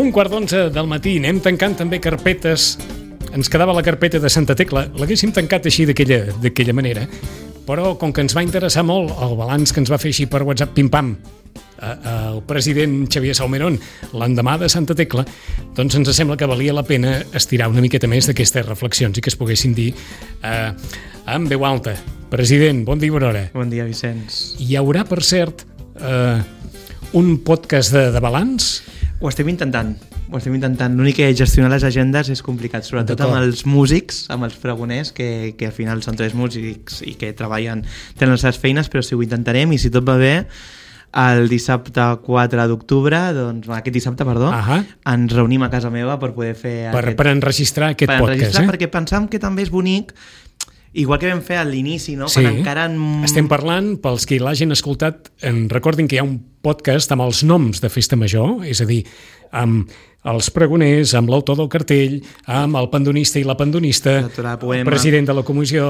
1:15 del matí. Anem tancant també carpetes. Ens quedava la carpeta de Santa Tecla. L'haguéssim tancat així d'aquella manera, però com que ens va interessar molt el balanç que ens va fer així per WhatsApp, pim-pam, el president Xavier Salmerón l'endemà de Santa Tecla, doncs ens sembla que valia la pena estirar una miqueta més d'aquestes reflexions i que es poguessin dir en veu alta. President, bon dia, bona hora. Bon dia, Vicenç. Hi haurà, per cert, un podcast de balanç? Ho estem intentant. L'únic que gestionar les agendes és complicat, sobretot amb els músics, amb els pregoners, que al final són 3 músics i que tenen les seves feines, però sí, ho intentarem, i si tot va bé, el dissabte 4 d'octubre, doncs aquest dissabte, ens reunim a casa meva per poder fer... Per enregistrar aquest podcast, perquè pensam que també és bonic, igual que vam fer a l'inici, no? Sí, estem parlant, pels que l'hagin escoltat, recordin que hi ha un podcast amb els noms de Festa Major, és a dir, amb els pregoners, amb l'autor del cartell, amb el pandonista i la pandonista, el president de la comissió,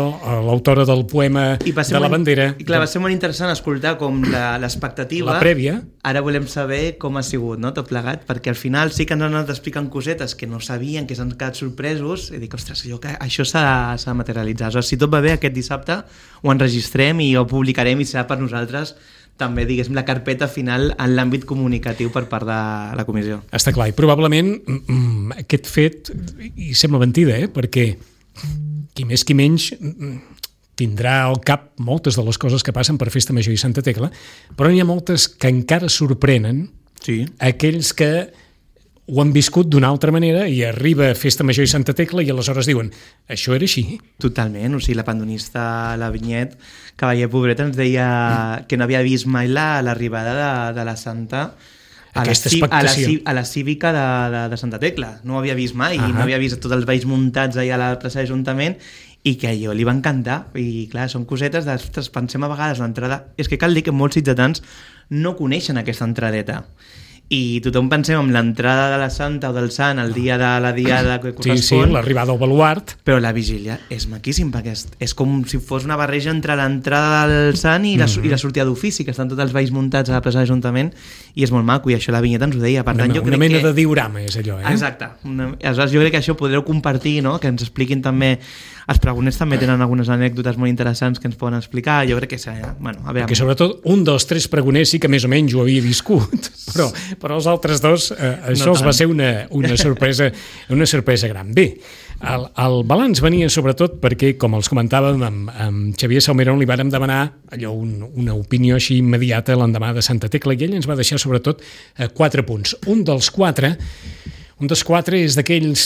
l'autora del poema de la bandera. I clar, va ser molt interessant escoltar com l'expectativa... La prèvia. Ara volem saber com ha sigut, no?, tot plegat, perquè al final sí que ens han anat explicant cosetes que no sabien, que s'han quedat sorpresos, i dic, ostres, això s'ha de materialitzar. Si tot va bé, aquest dissabte ho enregistrem i ho publicarem i serà per nosaltres també, diguéssim, la carpeta final en l'àmbit comunicatiu per part de la comissió. Està clar, i probablement aquest fet, i sembla mentida, perquè qui més qui menys tindrà al cap moltes de les coses que passen per Festa Major i Santa Tecla, però n'hi ha moltes que encara sorprenen aquells que ho han viscut d'una altra manera i arriba Festa Major i Santa Tecla i aleshores diuen, això era així? Totalment, la pandonista, la Vinyet, cavaller pobreta, ens deia que no havia vist mai l'arribada de la Santa a la cívica de Santa Tecla. No ho havia vist mai, no havia vist tots els balls muntats allà a la plaça d'Ajuntament i que a allò li va encantar. I clar, són cosetes d'ostres, pensem a vegades l'entrada... És que cal dir que molts ciutadans no coneixen aquesta entradeta. I tothom pensem en l'entrada de la Santa o del Sant el dia de la diada que correspon. Sí, l'arribada al baluart. Però la vigília és maquíssim, perquè és com si fos una barreja entre l'entrada del Sant i la sortida d'ofici, que estan tots els balls muntats a la plaça d'Ajuntament, i és molt maco, i això la Vinyeta ens ho deia. Per tant, una mena de diorama és allò, Exacte. Aleshores, jo crec que això podreu compartir, no?, que ens expliquin també... Els pregoners també tenen algunes anècdotes molt interessants que ens poden explicar. Jo crec que a veure... Que sobretot un dels 3 pregoners sí que més o menys ho havia viscut, però els altres 2 això els va ser una sorpresa gran. Bé, el balanç venia sobretot perquè, com els comentàvem, amb Xavier Salmerón li vàrem demanar allò una opinió així immediata l'endemà de Santa Tecla i ell ens va deixar sobretot 4 punts. Un dels 4 és d'aquells,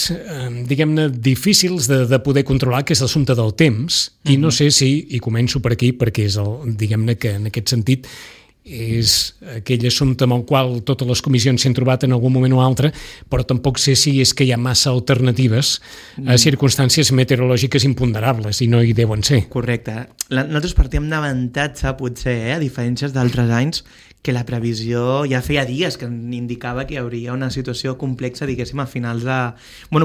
diguem-ne, difícils de poder controlar, que és l'assumpte del temps, i no sé si, i començo per aquí, perquè és diguem-ne que en aquest sentit és aquell assumpte amb el qual totes les comissions s'han trobat en algun moment o altre, però tampoc sé si és que hi ha massa alternatives a circumstàncies meteorològiques imponderables, i no hi deuen ser. Correcte. Nosaltres partíem d'avantatge, potser, a diferències d'altres anys, que la previsió ja feia dies que indicava que hi hauria una situació complexa, diguéssim, a finals de...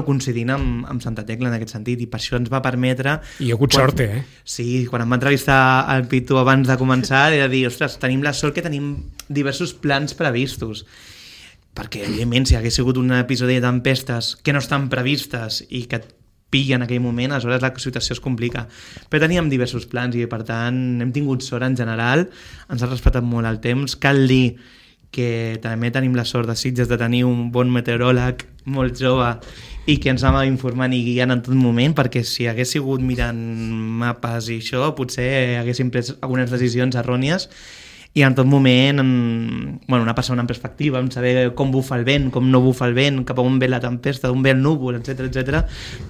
coincidint amb Santa Tecla en aquest sentit, i per això ens va permetre... I hi ha hagut sort, Sí, quan em va entrevistar el Pitu abans de començar, era dir, ostres, tenim la sort que tenim diversos plans previstos. Perquè, evidentment, si hagués sigut un episodi de tempestes que no estan previstes i que pilla en aquell moment, aleshores la situació es complica. Però teníem diversos plans i, per tant, hem tingut sort en general, ens ha respectat molt el temps. Cal dir que també tenim la sort de Sitges de tenir un bon meteoròleg molt jove i que ens anava informant i guiant en tot moment, perquè si hagués sigut mirant mapes i això, potser haguéssim pres algunes decisions errònies i en tot moment anar passant en perspectiva, en saber com bufa el vent, com no bufa el vent, cap a on ve la tempesta, d'on ve el núvol, etc.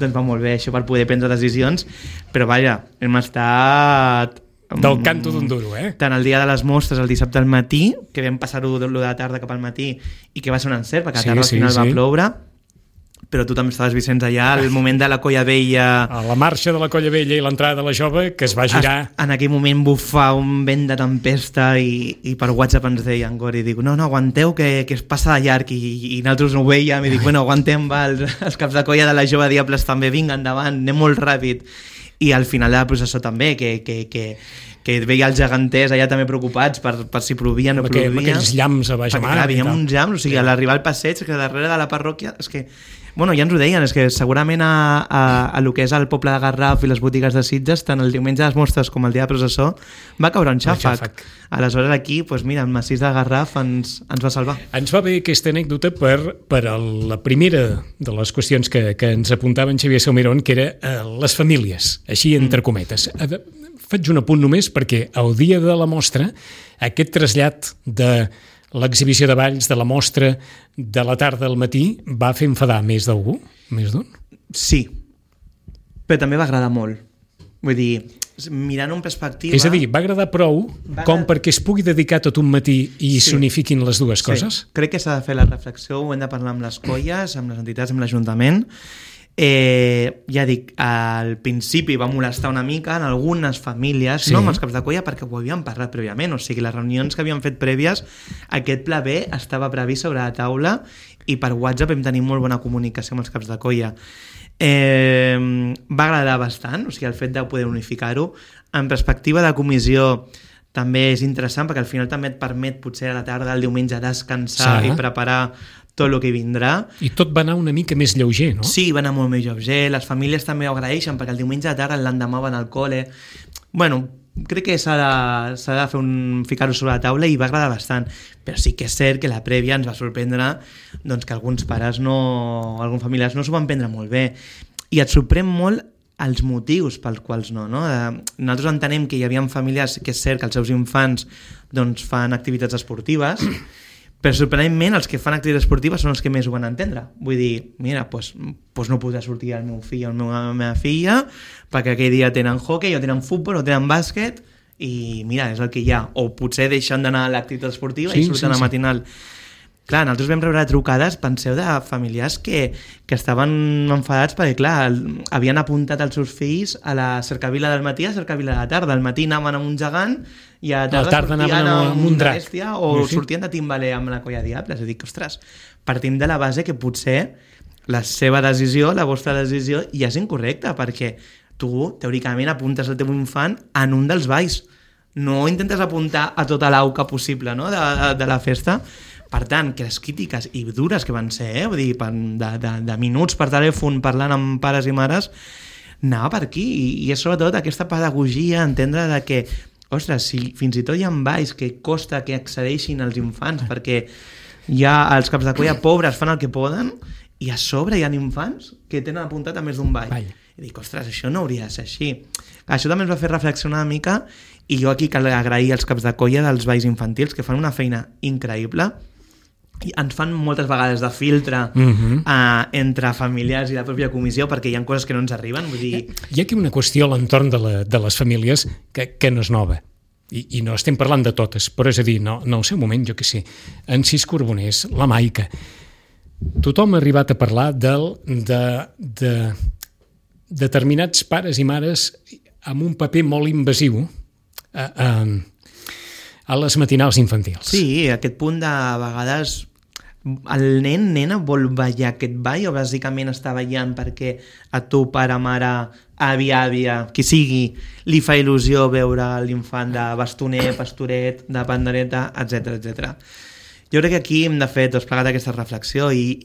Doncs va molt bé això per poder prendre decisions, però vaja, hem estat... Del canto d'un duro, Tant el dia de les mostres, el dissabte al matí, que vam passar-ho de la tarda cap al matí i que va ser un encert, perquè a la tarda al final va ploure, però tu també estaves, Vicenç, allà al moment de la Colla Vella... A la marxa de la Colla Vella i l'entrada de la Jove, que es va girar... En aquell moment bufar un vent de tempesta i per WhatsApp ens deia en Gori, dic, no, aguanteu que es passa de llarg, i nosaltres no ho veiem, i dic, aguantem, els caps de colla de la Jove Diables també, vinga, endavant, anem molt ràpid. I al final de la processó també, que que veia els geganters allà també preocupats per si plovia o no plovia. Amb aquells llamps a baix a mar. Perquè veiem uns llamps, o sigui, a l'arribar al passeig, que darrere de la parròquia, és que... Bueno, ja ens ho deien, és que segurament a lo que és el poble de Garraf i les botigues de Sitges, tant el diumenge de les mostres com el dia de processó, va caure un xàfec. Aleshores aquí, doncs mira, el massís de Garraf ens va salvar. Ens va bé aquesta anècdota per la primera de les qüestions que ens apuntava en Xavier Salmerón, que era les famílies, així entre cometes. Faig un apunt només perquè el dia de la mostra, aquest trasllat de l'exhibició de balls, de la mostra, de la tarda al matí, va fer enfadar més d'algú? Més d'un? Sí, però també va agradar molt. Vull dir, mirant en perspectiva... És a dir, va agradar prou com perquè es pugui dedicar tot un matí i s'unifiquin les dues coses? Crec que s'ha de fer la reflexió, ho hem de parlar amb les colles, amb les entitats, amb l'Ajuntament. Ja dic, al principi va molestar una mica en algunes famílies, no amb els caps de colla, perquè ho havíem parlat prèviament, o sigui, les reunions que havíem fet prèvies, aquest pla B estava previst sobre la taula i per WhatsApp vam tenir molt bona comunicació amb els caps de colla. Va agradar bastant, o sigui, el fet de poder unificar-ho. En perspectiva de comissió també és interessant perquè al final també et permet potser a la tarda, el diumenge, descansar i preparar tot el que vindrà. I tot va anar una mica més lleuger, no? Sí, va anar molt més lleuger. Les famílies també ho agraeixen perquè el diumenge a tarda, l'endemà van al col·le. Bueno, crec que s'ha de fer ficar-ho sobre la taula i va agradar bastant. Però sí que és cert que la prèvia ens va sorprendre doncs, que alguns pares alguns familiars no s'ho van prendre molt bé. I et sorprèn molt els motius pels quals no? Nosaltres entenem que hi havia famílies que és cert que els seus infants doncs, fan activitats esportives, però sorprenentment els que fan activitats esportives són els que més ho van entendre. Vull dir, mira, doncs no podrà sortir el meu fill o la meva filla perquè aquell dia tenen hockey o tenen futbol o tenen bàsquet i mira, és el que hi ha. O potser deixen d'anar a l'activitat esportiva i surten a matinal. Clar, nosaltres vam rebre trucades, penseu, de familiars que estaven enfadats perquè, clar, havien apuntat els seus fills a la cercavila del matí i a la cercavila de la tarda. Al matí anaven amb un gegant i a la tarda sortien amb un drac. Bèstia, o sortien de timbaler amb la colla diable. És a dir, que, ostres, partim de la base que potser la seva decisió, la vostra decisió, ja és incorrecta, perquè tu, teòricament, apuntes el teu infant en un dels balls. No intentes apuntar a tota l'auca possible, no?, de la festa. Per tant, que les crítiques i dures que van ser, vull dir, de minuts per telèfon parlant amb pares i mares, anava per aquí. I és sobretot aquesta pedagogia, entendre de que, ostres, si fins i tot hi ha balls que costa que accedeixin als infants, perquè ja els caps de colla pobres fan el que poden, i a sobre hi ha infants que tenen apuntat a més d'un ball. I dic, ostres, això no hauria de ser així. Això també ens va fer reflexionar una mica, i jo aquí cal agrair als caps de colla dels balls infantils, que fan una feina increïble, i ens fan moltes vegades de filtre entre familiars i la pròpia comissió perquè hi ha coses que no ens arriben. Vull dir... Hi ha aquí una qüestió a l'entorn de les famílies que no és nova i no estem parlant de totes, però és a dir, no al seu moment, jo què sé, en Cis Carboners, la Maica, tothom ha arribat a parlar de determinats pares i mares amb un paper molt invasiu a les matinals infantils. Sí, aquest punt de vegades el nena vol ballar aquest ball o bàsicament està ballant perquè a tu, pare, mare, àvia, qui sigui, li fa il·lusió veure l'infant de bastoner, pastoret, de pandereta, etc. Jo crec que aquí hem de fer tots plegats aquesta reflexió i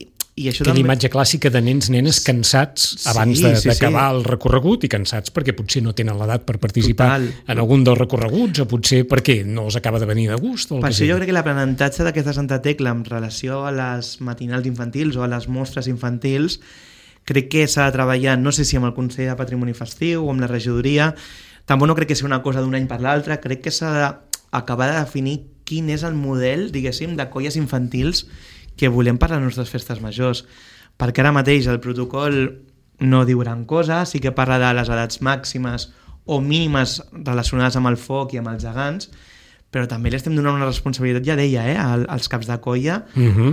això que també... l'imatge clàssica de nens, nenes cansats abans d'acabar el recorregut i cansats perquè potser no tenen l'edat per participar en algun dels recorreguts o potser perquè no els acaba de venir de gust. Per això jo crec que l'aprenentatge d'aquesta Santa Tecla en relació a les matinals infantils o a les mostres infantils crec que s'ha de treballar, no sé si amb el Consell de Patrimoni Festiu o amb la regidoria, tampoc no crec que sigui una cosa d'un any per l'altre, crec que s'ha d'acabar de definir quin és el model, diguéssim, de colles infantils que volem per a les nostres festes majors, perquè ara mateix el protocol no diu gran cosa, sí que parla de les edats màximes o mínimes relacionades amb el foc i amb els gegants, però també li estem donant una responsabilitat, ja deia, als caps de colla,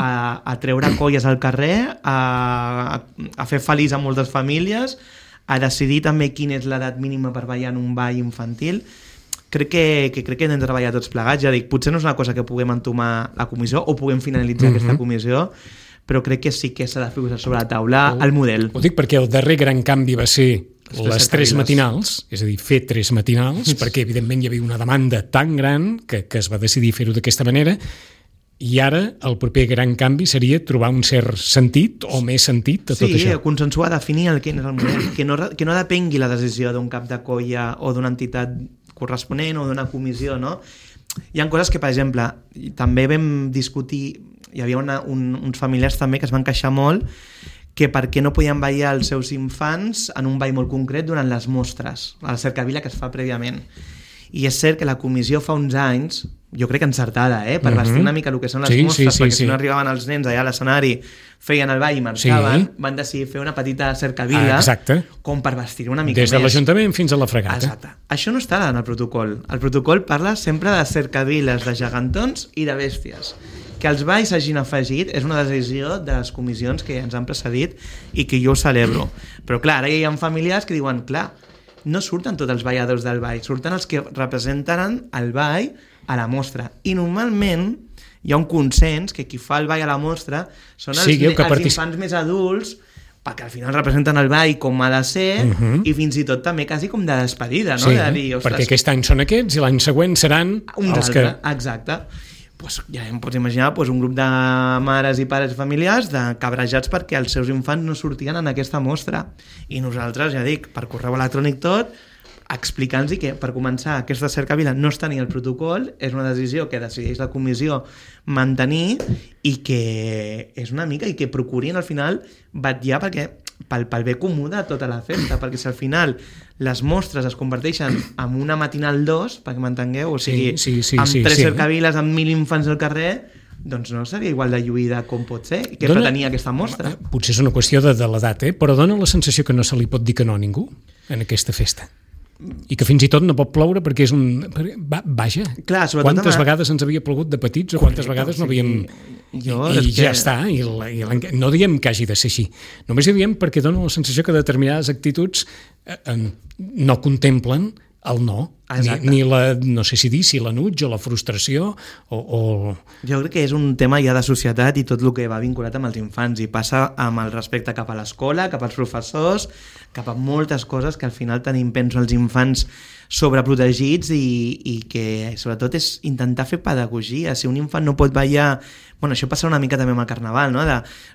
a treure colles al carrer, a fer feliç a moltes famílies, a decidir també quina és l'edat mínima per ballar en un ball infantil. Crec que hem de treballar tots plegats, ja dic, potser no és una cosa que puguem entomar la comissió o puguem finalitzar aquesta comissió, però crec que sí que s'ha de posar sobre la taula el model. Ho dic perquè el darrer gran canvi va ser les 3 matinals, és a dir, fer 3 matinals, perquè evidentment hi havia una demanda tan gran que es va decidir fer-ho d'aquesta manera, i ara el proper gran canvi seria trobar un cert sentit o més sentit a tot això. Sí, consensuar, definir quin és el model, que no depengui la decisió d'un cap de colla o d'una entitat corresponent o d'una comissió, no? Hi ha coses que, per exemple, també vam discutir, hi havia uns familiars també que es van queixar molt que per què no podien ballar els seus infants en un ball molt concret durant les mostres, a la cercavila que es fa prèviament. I és cert que la comissió fa uns anys, jo crec que encertada, per vestir una mica el que són les mostres, perquè si no arribaven els nens allà a l'escenari, feien el ball i marxaven, van decidir fer una petita cercavila com per vestir una mica més. Des de l'Ajuntament fins a la fregata. Exacte. Això no està en el protocol. El protocol parla sempre de cercaviles, de gegantons i de bèsties. Que els balls s'hagin afegit és una decisió de les comissions que ens han precedit i que jo ho celebro. Però clar, ara hi ha familiars que diuen, clar, no surten tots els balladors del ball, surten els que representen el ball a la mostra. I normalment hi ha un consens que qui fa el ball a la mostra són els infants més adults, perquè al final representen el ball com ha de ser i fins i tot també quasi com de despedida, no? Sí, de dir, perquè aquest any són aquests i l'any següent seran els que... Exacte. Ja em pots imaginar un grup de mares i pares familiars cabrejats perquè els seus infants no sortien en aquesta mostra. I nosaltres, ja dic, per correu electrònic tot, explicant-los que, per començar, aquesta cercavila no està ni al protocol, és una decisió que decideix la comissió mantenir i que és una mica i que procurin al final vetllar pel bé comú de tota la festa, perquè si al final les mostres es converteixen en una matinal 2, perquè m'entengueu, o sigui, amb 3 cercaviles, amb 1.000 infants al carrer, doncs no seria igual de lluïda com pot ser, que pretenia aquesta mostra. Potser és una qüestió de l'edat, però dona la sensació que no se li pot dir que no a ningú en aquesta festa. I que fins i tot no pot ploure perquè és un... Vaja, clar, quantes vegades ens havia plogut de petits o quantes vegades no havíem... I ja està, no diem que hagi de ser així. Només ho diem perquè dona la sensació que determinades actituds no contemplen el no, ni la, no sé si dir, si l'anuig o la frustració o... Jo crec que és un tema ja de societat i tot el que va vinculat amb els infants i passa amb el respecte cap a l'escola, cap als professors, cap a moltes coses que al final tenim, penso, els infants sobreprotegits i que sobretot és intentar fer pedagogia. Si un infant no pot ballar... Bueno, això passa una mica també amb el carnaval, no?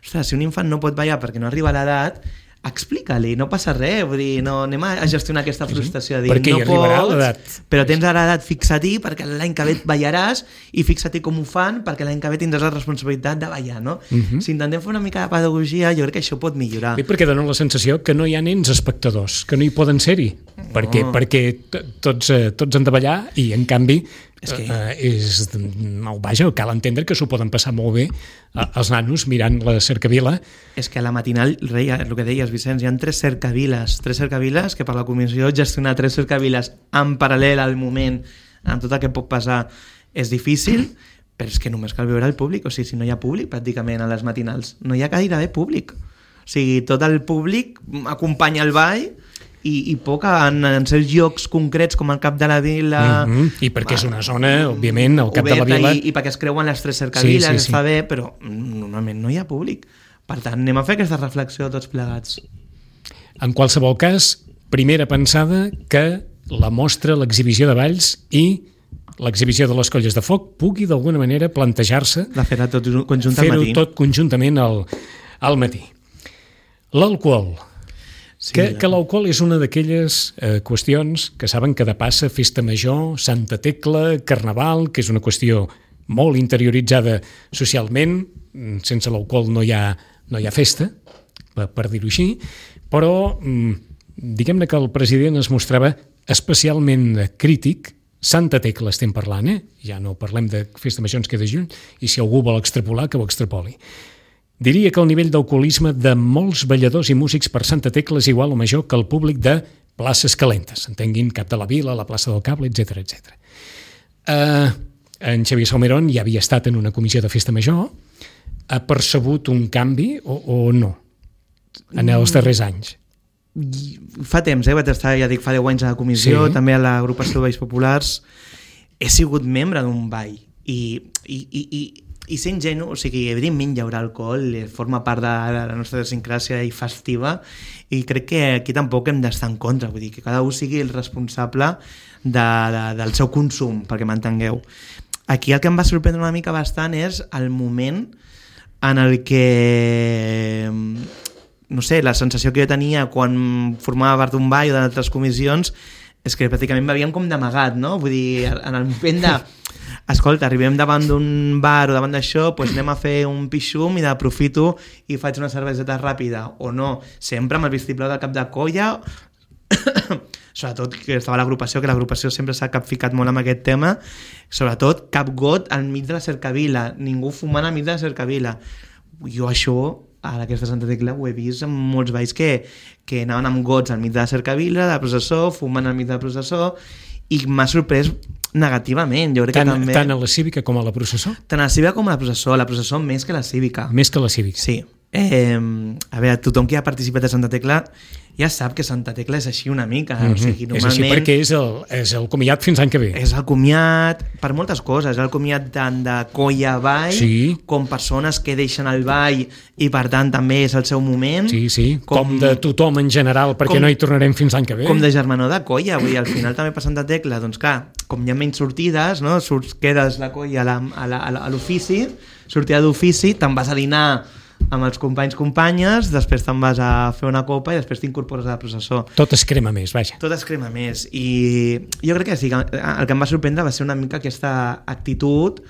Ostres, si un infant no pot ballar perquè no arriba a l'edat, explica-li, no passa res, vull dir, no, anem a gestionar aquesta frustració, dir, perquè no hi arribarà l'edat. Però tens ara l'edat, fixa-t'hi perquè l'any que ve ballaràs i fixa-t'hi com ho fan perquè l'any que ve tindràs la responsabilitat de ballar, no? Si intentem fer una mica de pedagogia, jo crec que això pot millorar. Bé, perquè dona la sensació que no hi ha nens espectadors, que no hi poden ser-hi, perquè tots han de ballar i, en canvi, cal entendre que s'ho poden passar molt bé els nanos mirant la cercavila. És que a la matinal, el que deies, Vicenç, hi ha 3 cercaviles que per la comissió gestionar 3 cercaviles en paral·lel al moment amb tot el que pot passar és difícil, però és que només cal veure el públic, o sigui, si no hi ha públic pràcticament a les matinals, no hi ha gairebé públic, o sigui, tot el públic acompanya el ball i poc en certs llocs concrets com el cap de la vila i perquè és una zona, òbviament, al cap de la vila i perquè es creuen les 3 cercaviles, està bé, però normalment no hi ha públic, per tant anem a fer aquesta reflexió tots plegats. En qualsevol cas, primera pensada que la mostra, l'exhibició de balls i l'exhibició de les colles de foc pugui d'alguna manera plantejar-se de fer-ho tot conjuntament al matí. L'alcohol. Que l'alcohol és una d'aquelles qüestions que saben que depassa festa major, Santa Tecla, Carnaval, que és una qüestió molt interioritzada socialment, sense l'alcohol no hi ha festa, per dir-ho així, però diguem-ne que el president es mostrava especialment crític. Santa Tecla estem parlant, ja no parlem de festa major, ens queda juny, i si algú vol extrapolar, que ho extrapoli. Diria que el nivell d'alcoholisme de molts balladors i músics per Santa Tecla és igual o major que el públic de places calentes, entenguin Cap de la Vila, la plaça del Cable, etc. En Xavier Salmerón ja havia estat en una comissió de festa major, ha percebut un canvi o no en els darrers anys? Fa temps, vaig estar, ja dic, fa 10 anys a la comissió, també a l'agrupació de Balls Populars, he sigut membre d'un ball i i ser ingenu, o sigui, evidentment hi haurà alcohol, forma part de la nostra idiosincràsia i festiva, i crec que aquí tampoc hem d'estar en contra, vull dir, que cada un sigui el responsable del seu consum, perquè m'entengueu. Aquí el que em va sorprendre una mica bastant és el moment en el que, no sé, la sensació que jo tenia quan formava part d'un ball o d'altres comissions és que pràcticament m'havíem com d'amagat, no? Vull dir, en el moment de... Escolta, arribem davant d'un bar o davant d'això, doncs anem a fer un pixum i aprofito i faig una cerveseta ràpida, o no, sempre amb el vistiplau del cap de colla, sobretot que estava l'agrupació, que l'agrupació sempre s'ha capficat molt amb aquest tema, sobretot cap got al mig de la cercavila, ningú fumant al mig de la cercavila. Jo això, a aquesta Santa Tecla, ho he vist en molts balls que anaven amb gots al mig de la cercavila, de la processó, fumant al mig de la processó, i m'ha sorprès negativament. Jo crec que també... Tant a la cívica com a la processó? Tant a la cívica com a la processó més que la cívica. Més que la cívica. Sí. A veure, tothom que ha participat a Santa Tecla ja sap que Santa Tecla és així una mica. O sigui, normalment... És així perquè és el comiat fins l'any que ve. És el comiat per moltes coses. És el comiat tant de colla a ball, sí, com persones que deixen el ball i per tant també és el seu moment. Sí, sí, com de tothom en general, perquè no hi tornarem fins l'any que ve. Com de germanor de colla. Vull dir, al final també per Santa Tecla, doncs clar, com hi ha menys sortides, no? Quedes la colla a l'ofici, sortida d'ofici, te'n vas a dinar amb els companys-companyes, després te'n vas a fer una copa i després t'incorpores a la processó. Tot es crema més, vaja. Tot es crema més. I jo crec que sí, el que em va sorprendre va ser una mica aquesta actitud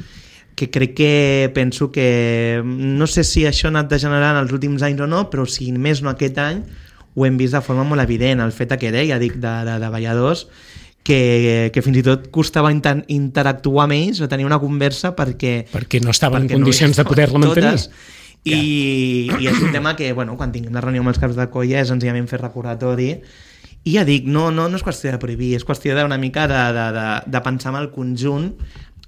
que crec que penso que... No sé si això ha anat degenerant els últims anys o no, però si més no aquest any ho hem vist de forma molt evident. El fet que deia, dic, de balladors, que fins i tot costava interactuar amb ells o tenir una conversa perquè no estaven en condicions de poder-la mantenir. I és un tema que, bueno, quan tinguem la reunió amb els caps de colla és senzillament fer recordatori. I ja dic, no és qüestió de prohibir, és qüestió d'una mica de pensar en el conjunt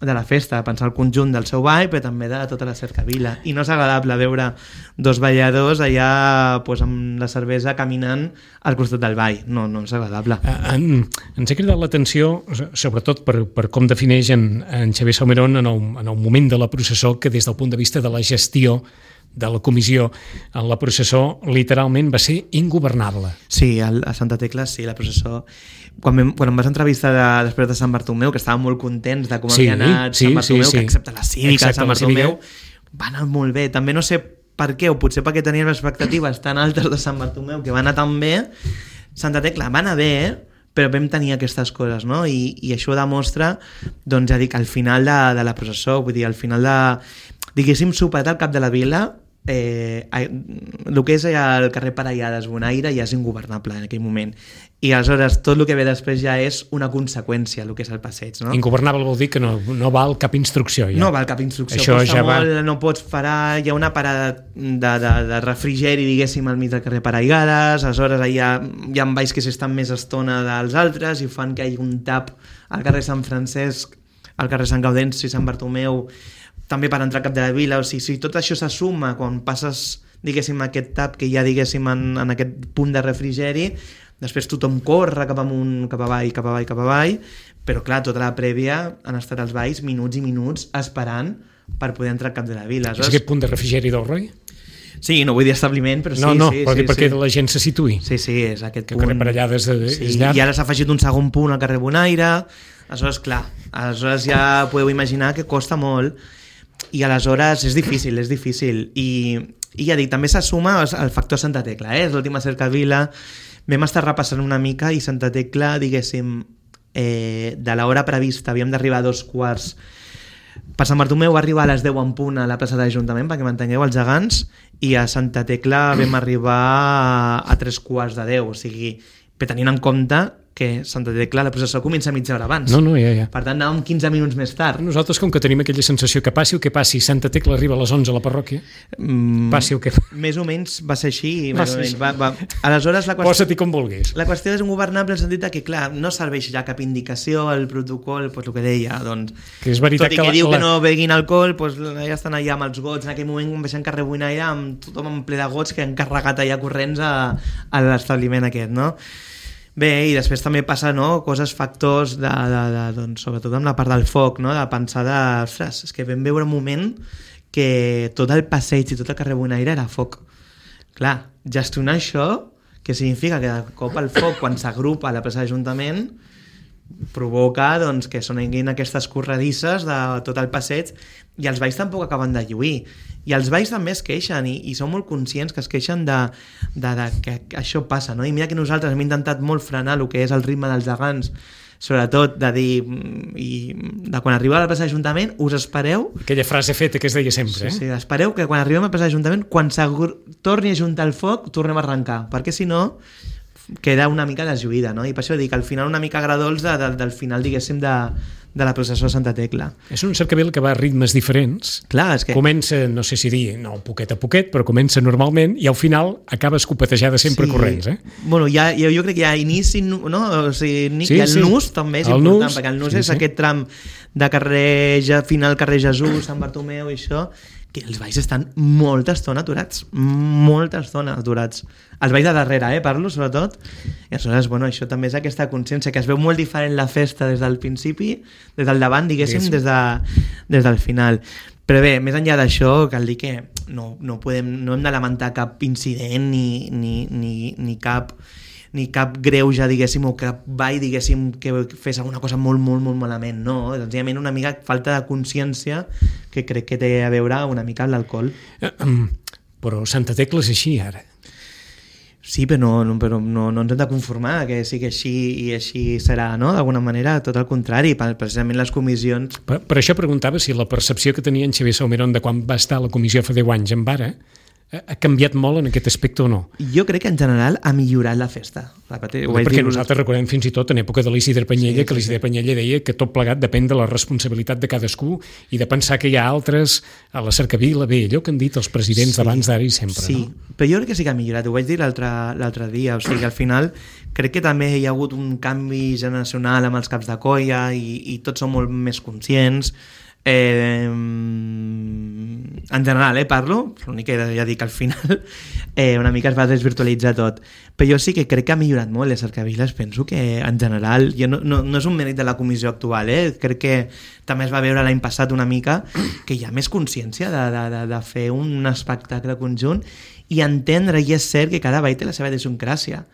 de la festa, pensar el conjunt del seu ball, però també de tota la cercavila. I no és agradable veure dos balladors allà pues, amb la cervesa caminant al costat del ball. No és agradable. Ens ha cridat l'atenció, sobretot per com defineix en Xavier Salmerón en el moment de la processó, que des del punt de vista de la gestió de la comissió en la processó literalment va ser ingovernable. Sí, a Santa Tecla sí, la processó... Quan em vas entrevistar després de Sant Bartomeu, que estàvem molt contents de com havia anat Sant Bartomeu, que excepte la cívica de Sant Bartomeu va anar molt bé. També no sé per què, o potser perquè tenien expectatives tan altes de Sant Bartomeu que va anar tan bé. Santa Tecla va anar bé, però vam tenir aquestes coses, no? I això demostra, doncs ja dic, al final de la processó, vull dir, al final de... Diguéssim, superat al cap de la vila, el que és el carrer Parellades, Bonaire, ja és ingovernable en aquell moment. I aleshores tot el que ve després ja és una conseqüència, el que és el passeig, no? Ingovernable vol dir que no val cap instrucció. Ja. No val cap instrucció, això costa ja molt, no pots parar, hi ha una parada de refrigeri, diguéssim, al mig del carrer Parellades, aleshores hi ha balls que s'estan més estona dels altres i fan que hi hagi un tap al carrer Sant Francesc, al carrer Sant Gaudenci, Sant Bartomeu, també per entrar al cap de la vila. O sigui, si tot això se suma quan passes, diguéssim, aquest tap que hi ha, diguéssim, en aquest punt de refrigeri, després tothom corre cap amunt, cap avall, però clar, tota la prèvia han estat els balls minuts i minuts esperant per poder entrar al cap de la vila. És aquest punt de refrigeri del Roi? Sí, no vull dir establiment, però sí. No, sí, perquè la gent se situï. Sí, és aquest punt. Que carrer Parellades és llarg. I ara s'ha afegit un segon punt al carrer Bonaire, aleshores, clar, ja podeu imaginar que costa molt. I aleshores és difícil. I ja dic, també se suma el factor Santa Tecla, és l'última cercavila. Vam estar repassant una mica i Santa Tecla, diguéssim, de l'hora prevista havíem d'arribar a 2:15. Per Sant Bartomeu va arribar a les 10 en punt a la plaça de l'Ajuntament, perquè m'entengueu, els gegants, i a Santa Tecla vam arribar a 3:15, o sigui, però tenint en compte que Santa Tecla, la processó comença mitja hora abans. No, ja. Per tant, anàvem 15 minuts més tard. Nosaltres, com que tenim aquella sensació que passi el que passi, Santa Tecla arriba a les 11 a la parròquia, passi el que... Més o menys va ser així. Aleshores, posa-t'hi com vulguis. La qüestió és ingovernable en el sentit que, clar, no serveix ja cap indicació al protocol, doncs el que deia, doncs... Que és veritat tot i que diu que no beguin alcohol, doncs ja estan allà amb els gots. En aquell moment baixant carrer Bonaire amb tothom en ple de gots que han carregat allà corrents a l'establiment aquest, no? Bé, i després també passa, no, coses, factors doncs, sobretot amb la part del foc, no, de pensar ostres, és que vam veure un moment que tot el passeig i tot el carrer Bonaire era foc. Clar, gestionar això, que significa que de cop el foc, quan s'agrupa a la plaça d'Ajuntament, provoca doncs, que sonin aquestes corredisses de tot el passeig i els balls tampoc acaben de lluir. I els balls també es queixen i són molt conscients que es queixen de que això passa, no? I mira que nosaltres hem intentat molt frenar el que és el ritme dels gegants, sobretot de dir de quan arriba a la plaça d'Ajuntament us espereu... Aquella frase feta que es deia sempre, sí, espereu que quan arribem a la plaça d'Ajuntament, quan torni a juntar el foc, tornem a arrencar, perquè si no queda una mica deslluïda, no? I per això dic, al final una mica agradols del final, diguéssim, de la processó de Santa Tecla. És un cercavil que va a ritmes diferents. Clar, és que... Comença, no sé si dir, no, poquet a poquet, però comença normalment i al final acaba escopetejada sempre corrents, Bueno, jo crec que hi ha inici, no? O sigui, i el nus també és important, perquè el nus és aquest tram de carrer, final carrer Jesús, Sant Bartomeu i això, que els balls estan molta estona aturats. Els balls de darrere, parlo, sobretot. I aleshores, bueno, això també és aquesta consciència, que es veu molt diferent la festa des del principi, des del davant, diguéssim, des del final. Però bé, més enllà d'això, cal dir que no hem de lamentar cap incident ni cap greuge, diguéssim, o cap ball, diguéssim, que fes alguna cosa molt, molt, molt malament. No, senzillament una mica falta de consciència que crec que té a veure una mica amb l'alcohol. Però Santa Tecla és així, ara. Sí, però no ens hem de conformar que sigui així i així serà, no? D'alguna manera, tot el contrari, precisament les comissions... Per això preguntava si la percepció que tenia en Xavier Salmerón de quan va estar a la comissió fa 10 anys en Vara ha canviat molt en aquest aspecte o no? Jo crec que en general ha millorat la festa. Perquè nosaltres recordem fins i tot en època de l'Isidre Panyella, que l'Isidre Panyella deia que tot plegat depèn de la responsabilitat de cadascú i de pensar que hi ha altres a la cercavila, bé, allò que han dit els presidents d'abans d'ara i sempre. Sí, no? Però jo crec que sí que ha millorat, ho vaig dir l'altre dia, o sigui, al final crec que també hi ha hagut un canvi generacional amb els caps de colla i tots són molt més conscients. En general, parlo, l'únic que ja dic al final una mica es va desvirtualitzar tot, però jo sí que crec que ha millorat molt les cercaviles. Penso que en general no és un mèrit de la comissió actual, crec que també es va veure l'any passat una mica que hi ha més consciència de fer un espectacle conjunt i entendre, i és cert que cada ball té la seva idiosincràsia.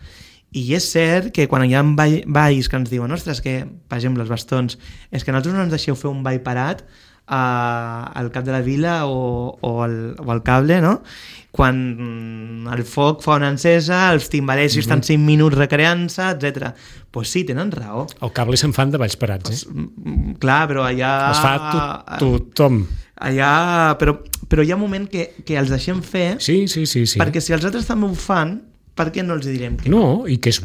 I és cert que quan hi ha balls que ens diuen, ostres, que, per exemple, els bastons, és que nosaltres no ens deixeu fer un ball parat al cap de la vila o al cable, no? Quan el foc fa una encesa, els timbalers estan 5 minuts recreant-se, etc. Pues sí, tenen raó. El cable se'n fan de balls parats, Clar, però allà... Es fa tothom. Allà... Però hi ha un moment que els deixem fer... Sí. Perquè si els altres també ho fan, per què no els direm que no? I que és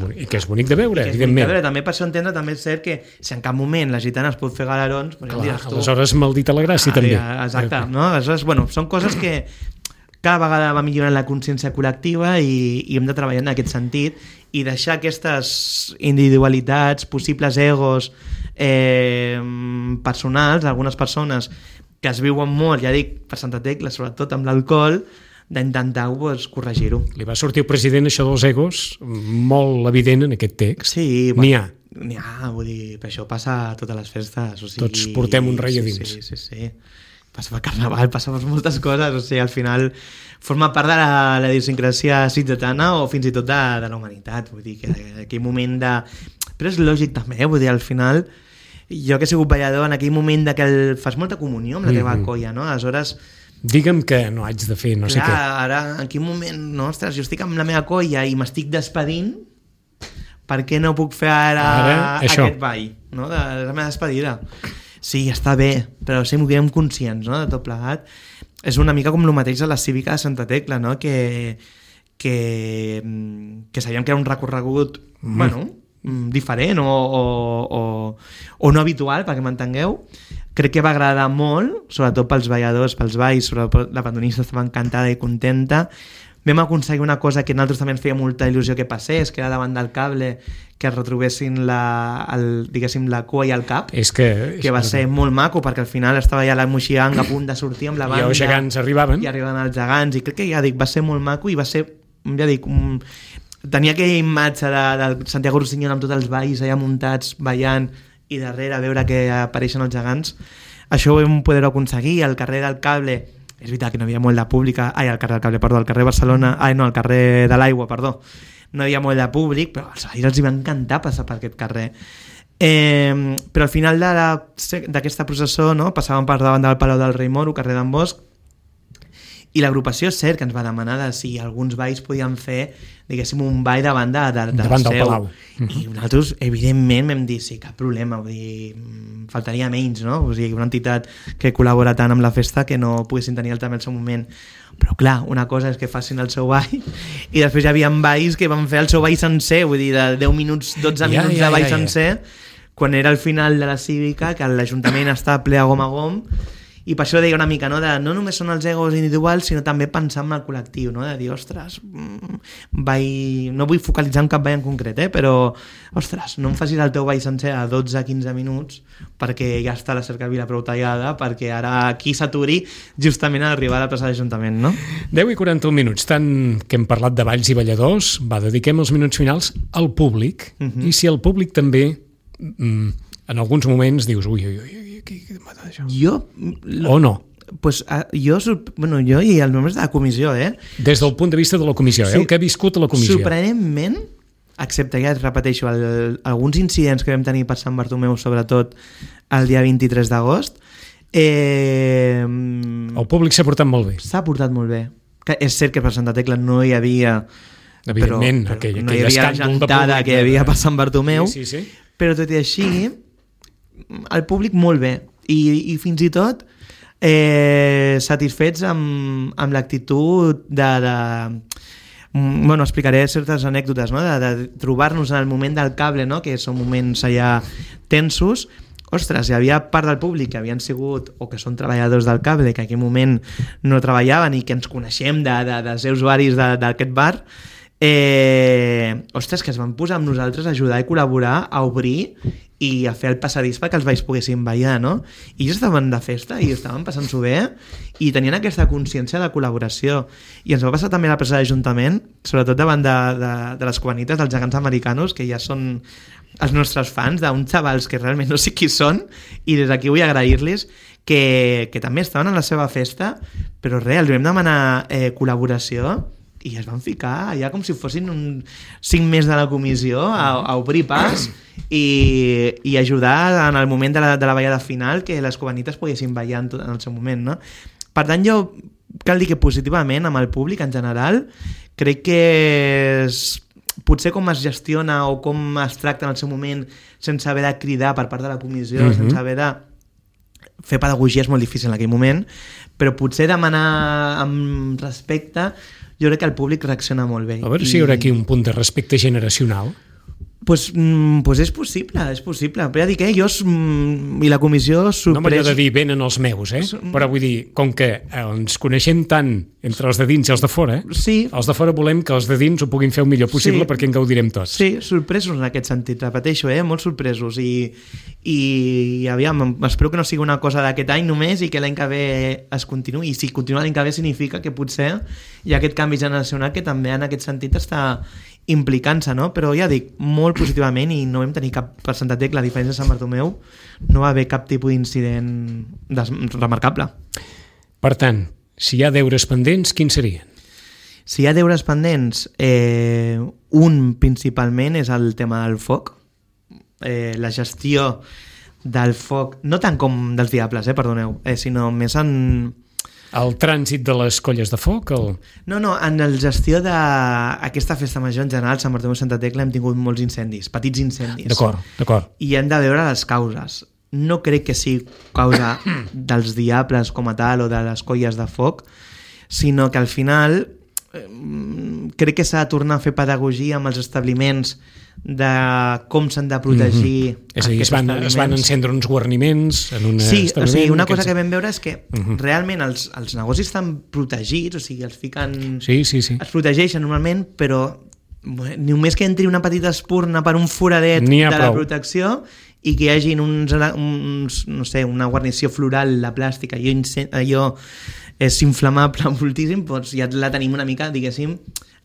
bonic de veure, evidentment. També per això entendre, també és cert que si en cap moment la gitana es pot fer galerons... Clar, aleshores maldita la gràcia també. Exacte, no? Aleshores, bueno, són coses que cada vegada va millorant la consciència col·lectiva i hem de treballar en aquest sentit i deixar aquestes individualitats, possibles egos personals d'algunes persones que es viuen molt, ja dic, per Santa Tecla, sobretot amb l'alcohol, d'intentar corregir-ho. Li va sortir al president això dels egos molt evident en aquest text. Sí, n'hi ha. N'hi ha, vull dir, per això passa a totes les festes. O sigui, tots portem un rei a dins. Sí. Passa per Carnaval, passa per moltes coses, o sigui, al final forma part de la idiosincràsia ciutadana o fins i tot de la humanitat, vull dir, que aquell moment de... Però és lògic també, vull dir, al final, jo que he sigut ballador, en aquell moment de que fas molta comunió amb la teva colla, no? Aleshores... Digue'm que no haig de fer no sé què. Ara, en quin moment, no, ostres, jo estic amb la meva colla i m'estic despedint, per què no puc fer ara aquest ball, no? De la meva despedida. Sí, està bé, però siguem conscients, no?, de tot plegat. És una mica com el mateix a la cívica de Santa Tecla, no?, que sabíem que era un recorregut, bueno, diferent o no habitual, perquè m'entengueu. Crec que va agradar molt, sobretot pels balladors, pels balls, sobretot la pandonista estava encantada i contenta. Vam aconseguir una cosa que a nosaltres també ens feia molta il·lusió que passés, que era davant del cable, que es retrobessin diguéssim, la cua i el cap, que va ser molt maco, perquè al final estava ja la Moixiang a punt de sortir amb la banda. I els gegants arribaven. I arribaven els gegants, i crec que, ja dic, va ser molt maco i va ser, ja dic, tenia aquella imatge del Santiago Rossinyol amb tots els balls allà muntats, ballant, i darrere veure que apareixen els gegants. Això ho vam poder aconseguir. Al carrer del Cable és veritat que no hi havia molt de públic al carrer Barcelona, al carrer de l'Aigua, perdó, no hi havia molt de públic, però als veïns els hi va encantar passar per aquest carrer. Però al final d'aquesta processó, no, passàvem per davant del Palau del Rei Moro, carrer d'en Bosch, i l'agrupació és cert que ens va demanar si alguns balls podien fer, diguéssim, un ball davant del seu. Palau. I nosaltres, evidentment, vam dir, sí, cap problema, vull dir, faltaria menys, no? O sigui, una entitat que col·labora tant amb la festa que no poguessin tenir també el seu moment. Però clar, una cosa és que facin el seu ball i després hi havia balls que van fer el seu ball sencer, vull dir, de 10 minuts, 12 minuts de ball sencer, quan era el final de la cívica, que l'Ajuntament està ple a gom, i per això deia una mica, no només són els egos individuals, sinó també pensar en el col·lectiu, no? De dir, ostres, no vull focalitzar en cap ball en concret, però, ostres, no em facis el teu ball sencer a 12-15 minuts perquè ja està la cercavila prou tallada, perquè ara aquí s'aturi justament a arribar a la plaça de l'Ajuntament, no? 10 i 41 minuts, tant que hem parlat de balls i balladors, dediquem els minuts finals al públic, i si el públic també, en alguns moments dius, ui, o no? Pues jo i els membres de la comissió, Des del punt de vista de la comissió, sí, el que ha viscut a la comissió. Sorprenentment, excepte, ja et repeteixo, alguns incidents que vam tenir per Sant Bartomeu, sobretot el dia 23 d'agost, el públic s'ha portat molt bé. S'ha portat molt bé. Que és cert que per Santa Tecla no hi havia... Evidentment, però no hi havia gentada que hi havia per Sant Bartomeu, sí. Però tot i així, el públic molt bé. I fins i tot satisfets amb l'actitud bueno, explicaré certes anècdotes, no? De trobar-nos en el moment del cable, no? Que són moments allà tensos. Ostres, hi havia part del públic que havien sigut o que són treballadors del cable, que en aquell moment no treballaven i que ens coneixem de ser usuaris d'aquest bar. Ostres, que es van posar amb nosaltres a ajudar i col·laborar, a obrir i a fer el passadís perquè els balls poguessin ballar, no? I ells estaven de festa i estaven passant-s'ho bé i tenien aquesta consciència de col·laboració. I ens va passar també a la plaça de l'Ajuntament, sobretot davant de les cubanites dels gegants americanos, que ja són els nostres fans, d'uns xavals que realment no sé qui són, i des d'aquí vull agrair-los que també estaven a la seva festa, però res, els vam demanar col·laboració i es van ficar allà com si fossin 5 més de la comissió a obrir pas i ajudar en el moment de la ballada final que les cubanites poguessin ballar en el seu moment, no? Per tant, jo cal dir que positivament amb el públic en general crec que potser com es gestiona o com es tracta en el seu moment sense haver de cridar per part de la comissió, sense haver de fer pedagogia és molt difícil en aquell moment, però potser demanar amb respecte, jo crec que el públic reacciona molt bé. A veure si hi haurà aquí un punt de respecte generacional. Pues és possible. Però ja dic, jo i la comissió sorprès... No m'agrada dir venen els meus, però vull dir, com que ens coneixem tant entre els de dins i els de fora, sí. Els de fora volem que els de dins ho puguin fer el millor possible perquè en gaudirem tots. Sí, sorpresos en aquest sentit, repeteixo, molt sorpresos i aviam, espero que no sigui una cosa d'aquest any només i que l'any que ve es continuï, i si continua l'any que ve significa que potser hi ha aquest canvi generacional que també en aquest sentit està implicant-se, no? Però ja dic, molt positivament i no vam tenir cap per Santa Tecla, a diferència de Sant Bartomeu, no va haver cap tipus d'incident remarcable. Per tant, si hi ha deures pendents, quins serien? Si hi ha deures pendents, un principalment és el tema del foc, la gestió del foc, no tant com dels diables, perdoneu, sinó més en... El trànsit de les colles de foc? No, en la gestió d'aquesta festa major en general, Sant Bartomeu i Santa Tecla, hem tingut molts incendis, petits incendis. D'acord. I hem de veure les causes. No crec que sigui causa dels diables com a tal o de les colles de foc, sinó que al final crec que s'ha de tornar a fer pedagogia amb els establiments de com s'han de protegir és a dir, es van encendre uns guarniments en un establiment. O sigui, una cosa que vam veure és que realment els negocis estan protegits, o sigui, els fiquen... Sí. Es protegeixen normalment, però només que entri una petita espurna per un foradet de la protecció i que hi hagi no sé, una guarnició floral, la plàstica, allò és inflamable moltíssim, doncs ja la tenim una mica, diguéssim,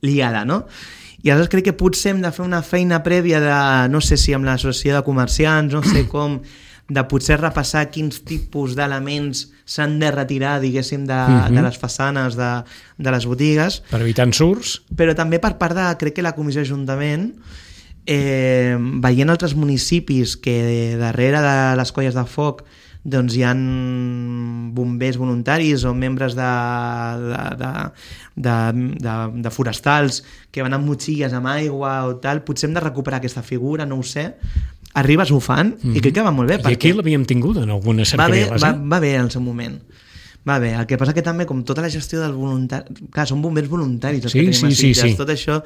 liada, no? I aleshores crec que potser hem de fer una feina prèvia de, no sé si amb l'associació de comerciants, no sé com, de potser repassar quins tipus d'elements s'han de retirar, diguéssim, de les façanes de les botigues. Per evitar ensurts. Però també per part de, crec que la Comissió d'Ajuntament, veient altres municipis que darrere de les colles de foc doncs hi ha bombers voluntaris o membres de forestals que van amb motxilles amb aigua o tal, potser hem de recuperar aquesta figura, no ho sé. Arribes ho fan i crec que va molt bé. I aquí l'havíem tingut en algunes cercaviles. Va bé en el seu moment. Va bé, el que passa que també, com tota la gestió del voluntari... Clar, són bombers voluntaris. Sí. Tot això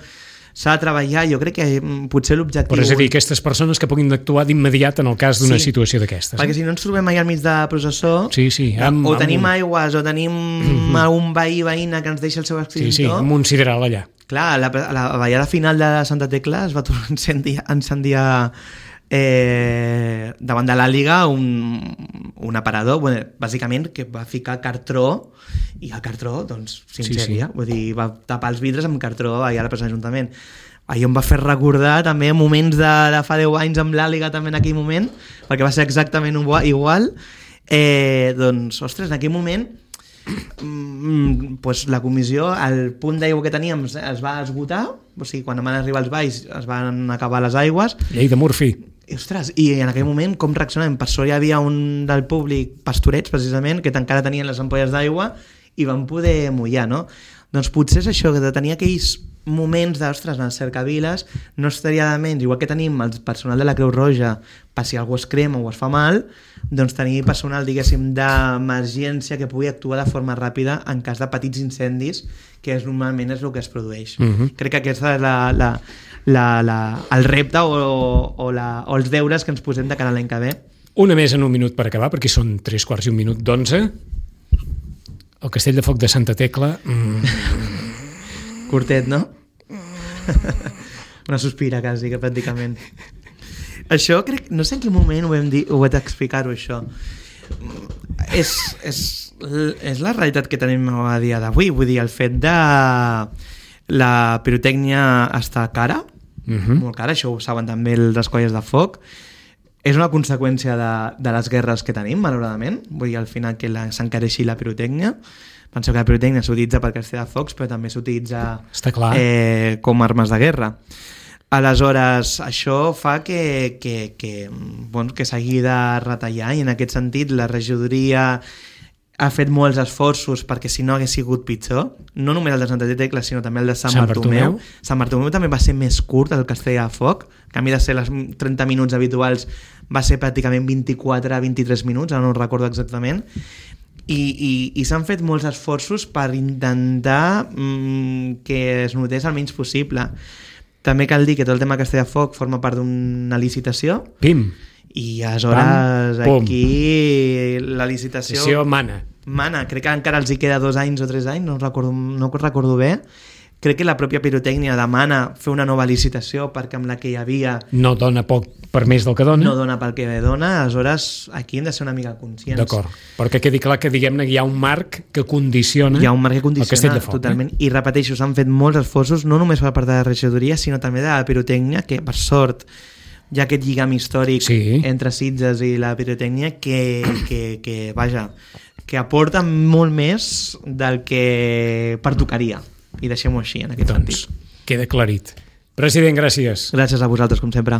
s'ha de treballar, jo crec que potser l'objectiu... Però és a dir, aquestes persones que puguin actuar d'immediat en el cas d'una situació d'aquestes. Perquè si no ens trobem allà al mig de processó, o tenim aigües, o tenim un veïna que ens deixa el seu extintor... Sí, amb un sideral allà. Clar, la ballada final de Santa Tecla es va tornar a incendiar davant de l'Àliga un aparador, bàsicament que va ficar cartró i el cartró doncs s'incendia, vull dir, va tapar els vidres amb cartró allà a la plaça de l'Ajuntament. Allò em va fer recordar també moments de fa 10 anys amb l'Àliga també en aquell moment, perquè va ser exactament igual. Doncs, ostres, en aquell moment pues la comissió, el punt d'aigua que teníem es va esgotar, o sigui, quan van arribar els valls es van acabar les aigües. Llei de Murphy. Ostres, i en aquell moment com reaccionem? Per sort hi havia un del públic, pastorets precisament, que encara tenien les ampolles d'aigua i van poder mullar, no? Doncs potser és això, que de tenir aquells moments d'ostres, en les cercaviles no estaria de menys, igual que tenim el personal de la Creu Roja per si algú es crema o es fa mal, doncs tenir personal, diguéssim, d'emergència que pugui actuar de forma ràpida en cas de petits incendis, que normalment és el que es produeix. Crec que aquesta és el repte o els deures que ens posem de cara a l'any que ve. Una més en un minut per acabar, perquè són 3:15 El Castell de Foc de Santa Tecla... Curtet, no? Una sospira quasi, que pràcticament. Això crec... No sé en quin moment ho he d'explicar-ho, això. És la realitat que tenim a dia d'avui. Vull dir, el fet de la pirotècnia està cara, molt cara, això ho saben també les colles de foc. És una conseqüència de les guerres que tenim, malauradament. Vull dir, al final que s'encareixi la pirotècnia. Penseu que la pirotècnia s'utilitza per castell de focs, però també s'utilitza com armes de guerra. Aleshores, això fa que s'hagi de retallar, i en aquest sentit la regidoria ha fet molts esforços perquè si no hagués sigut pitjor, no només el de Santa Tecla sinó també el de Sant Bartomeu. Sant Bartomeu també va ser més curt, el castell de foc, en canvi de ser les 30 minuts habituals va ser pràcticament 24 a 23 minuts, ara no ho recordo exactament, i s'han fet molts esforços per intentar que es notés el menys possible. També cal dir que tot el tema Castell de Foc forma part d'una licitació. Pim! I aleshores aquí la licitació mana. Crec que encara els hi queda 2 anys o 3 anys, no recordo bé. Crec que la pròpia pirotècnia demana fer una nova licitació perquè amb la que hi havia no dona poc per més del que dona. No dona pel que dona, aleshores aquí hem de ser una mica conscients. D'acord, perquè quedi clar que diguem-ne hi ha un marc que condiciona el Castell de Foc. Totalment. I repeteixo, s'han fet molts esforços, no només per part de la regidoria, sinó també de la pirotècnia, que per sort hi ha aquest lligam històric entre Sitges i la pirotècnia que aporta molt més del que pertocaria. I deixem-ho així, en aquest sentit. Queda aclarit. President, gràcies. Gràcies a vosaltres, com sempre.